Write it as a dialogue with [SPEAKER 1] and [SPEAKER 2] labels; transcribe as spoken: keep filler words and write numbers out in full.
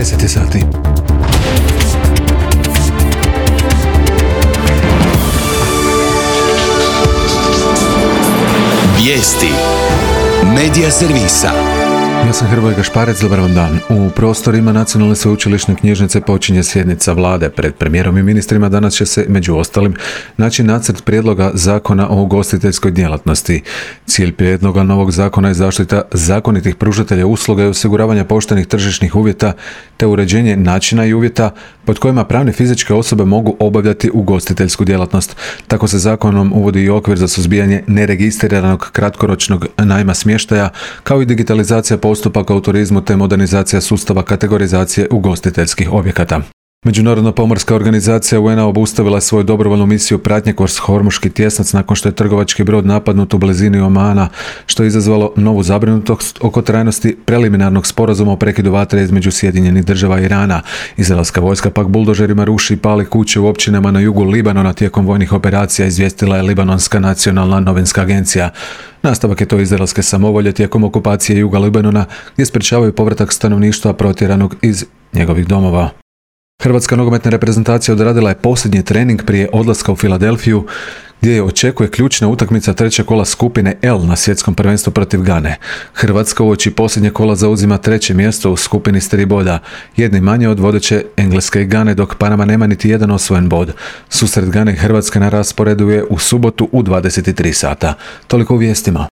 [SPEAKER 1] deset je sati.
[SPEAKER 2] Vijesti Medija servisa.
[SPEAKER 1] Ja sam Hrvoje Gašparec, dobar vam dan. U prostorima Nacionalne sveučilišne knjižnice počinje sjednica vlade. Pred premijerom i ministrima danas će se, među ostalim, naći nacrt prijedloga zakona o ugostiteljskoj djelatnosti. Cilj prijedloga novog zakona je zaštita zakonitih pružatelja usluga i osiguravanja poštenih tržišnih uvjeta te uređenje načina i uvjeta pod kojima pravne fizičke osobe mogu obavljati ugostiteljsku djelatnost. Tako se zakonom uvodi i okvir za suzbijanje neregistriranog kratkoročnog najma smještaja, kao i digitalizacija postupaka u turizmu te modernizacija sustava kategorizacije ugostiteljskih objekata. Međunarodna pomorska organizacija U N A obustavila je svoju dobrovoljnu misiju pratnje kroz Hormuški tjesnac nakon što je trgovački brod napadnut u blizini Omana, što je izazvalo novu zabrinutost oko trajnosti preliminarnog sporazuma o prekidu vatre između Sjedinjenih država i Irana. Izraelska vojska pak buldožerima ruši i pali kuće u općinama na jugu Libanona tijekom vojnih operacija, izvijestila je Libanonska nacionalna novinska agencija. Nastavak je to izraelske samovolje tijekom okupacije juga Libanona, gdje sprečavaju povratak stanovništva protjeranog iz njegovih domova. Hrvatska nogometna reprezentacija odradila je posljednji trening prije odlaska u Filadelfiju, gdje je očekuje ključna utakmica trećeg kola skupine L na svjetskom prvenstvu protiv Gane. Hrvatska uoči posljednje kola zauzima treće mjesto u skupini s tri boda, jedni manje od vodeće Engleske i Gane, dok Panama nema niti jedan osvojen bod. Susret Gane i Hrvatske na rasporedu je u subotu u dvadeset tri sata. Toliko u vijestima.